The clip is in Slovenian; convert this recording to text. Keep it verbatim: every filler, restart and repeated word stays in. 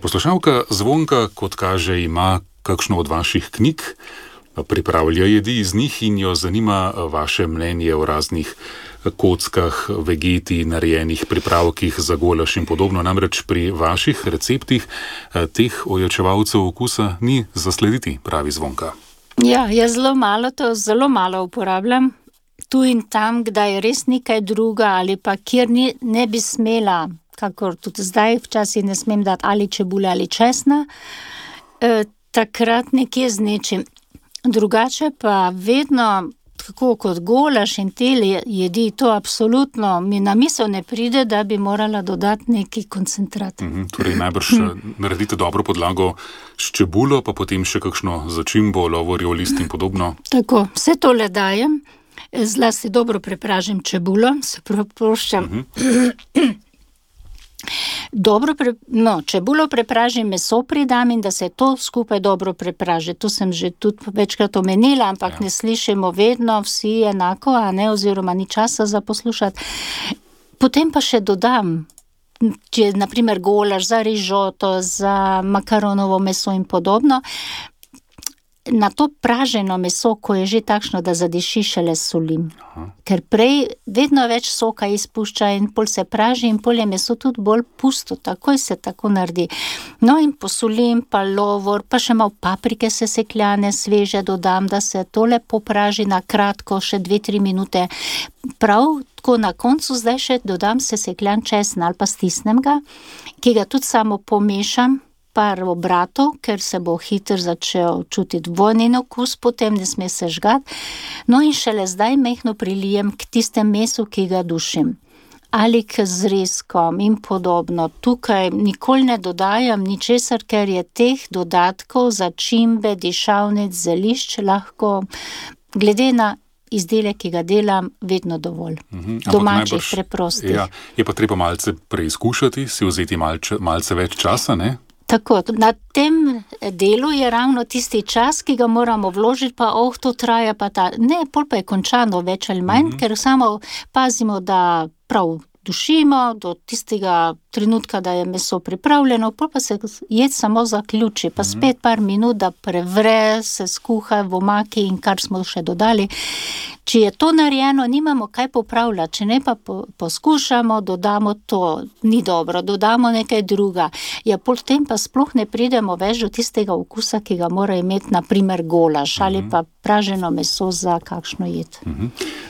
Poslušalka Zvonka, kot kaže, ima kakšno od vaših knjig, pripravlja jedi iz njih in jo zanima vaše mnenje o raznih kockah, vegeti, narejenih pripravkih za golaž in podobno. Namreč pri vaših receptih teh ojačevalcev okusa ni zaslediti, pravi Zvonka. Ja, jaz zelo malo to, zelo malo uporabljam. Tu in tam, kdaj je res nekaj druga ali pa kjer ni, ne bi smela, kakor tudi zdaj, včasih ne smem dati ali čebule ali česna, e, takrat nekje z nečim. Drugače pa vedno, tako kot golaž in te jedi, to absolutno mi na misel ne pride, da bi morala dodati neki koncentrat. Mhm, torej najbrž naredite dobro podlago s čebulo, pa potem še kakšno začimbo, lovorjev list in podobno. Tako, vse tole dajem, zlasti dobro prepražim čebulo, se propuščam. Mhm. Dobro, pre, no, čebulo prepražim, meso pridam in da se to skupaj dobro prepraži. To sem že tudi večkrat omenila, ampak ja. Ne slišimo vedno vsi enako, a ne, oziroma ni časa za poslušati. Potem pa še dodam, če na primer golaž za rižoto, za makaronovo meso in podobno, na to praženo meso, ko je že takšno, da zadiši, šele solim. Aha. Ker prej vedno več soka izpušča in pol se praži in pol je meso tudi bolj pusto, takoj se tako naredi. No in posolim, pa lovor, pa še malo paprike sesekljane, sveže dodam, da se to lepo praži na kratko, še dve, tri minute. Prav tako na koncu zdaj še dodam sesekljan česen ali pa stisnem ga, ki ga tudi samo pomešam, par obratov, ker se bo hitro začel čutiti vonjen okus, potem ne sme se žgati. No in šele zdaj mehno prilijem k tistem mesu, ki ga dušim. Ali k zrezkom in podobno. Tukaj nikoli ne dodajam ničesar, ker je teh dodatkov, začimbe, dišavnic, zelišč lahko, glede na izdelek, ki ga delam, vedno dovolj. Mhm, domačih, najbrž, preprostih. Ja, je pa treba malce preizkušati, si vzeti malce, malce več časa, ne? Tako, na tem delu je ravno tisti čas, ki ga moramo vložiti, pa oh, to traja pa ta. Ne, pol pa je končano več ali manj, mm-hmm. ker samo pazimo, da prav dušimo do tistega trenutka, da je meso pripravljeno, pol pa se jed samo zaključi, pa mm-hmm. spet par minut, da prevre, se skuha v omaki in kar smo še dodali. Če je to narejeno, nimamo kaj popravljati, če ne pa po, poskušamo, dodamo to, ni dobro, dodamo nekaj druga. Ja, potem pa sploh ne pridemo več do tistega okusa, ki ga mora imeti, na primer golaž, mm-hmm. ali pa praženo meso za kakšno jed. Mm-hmm.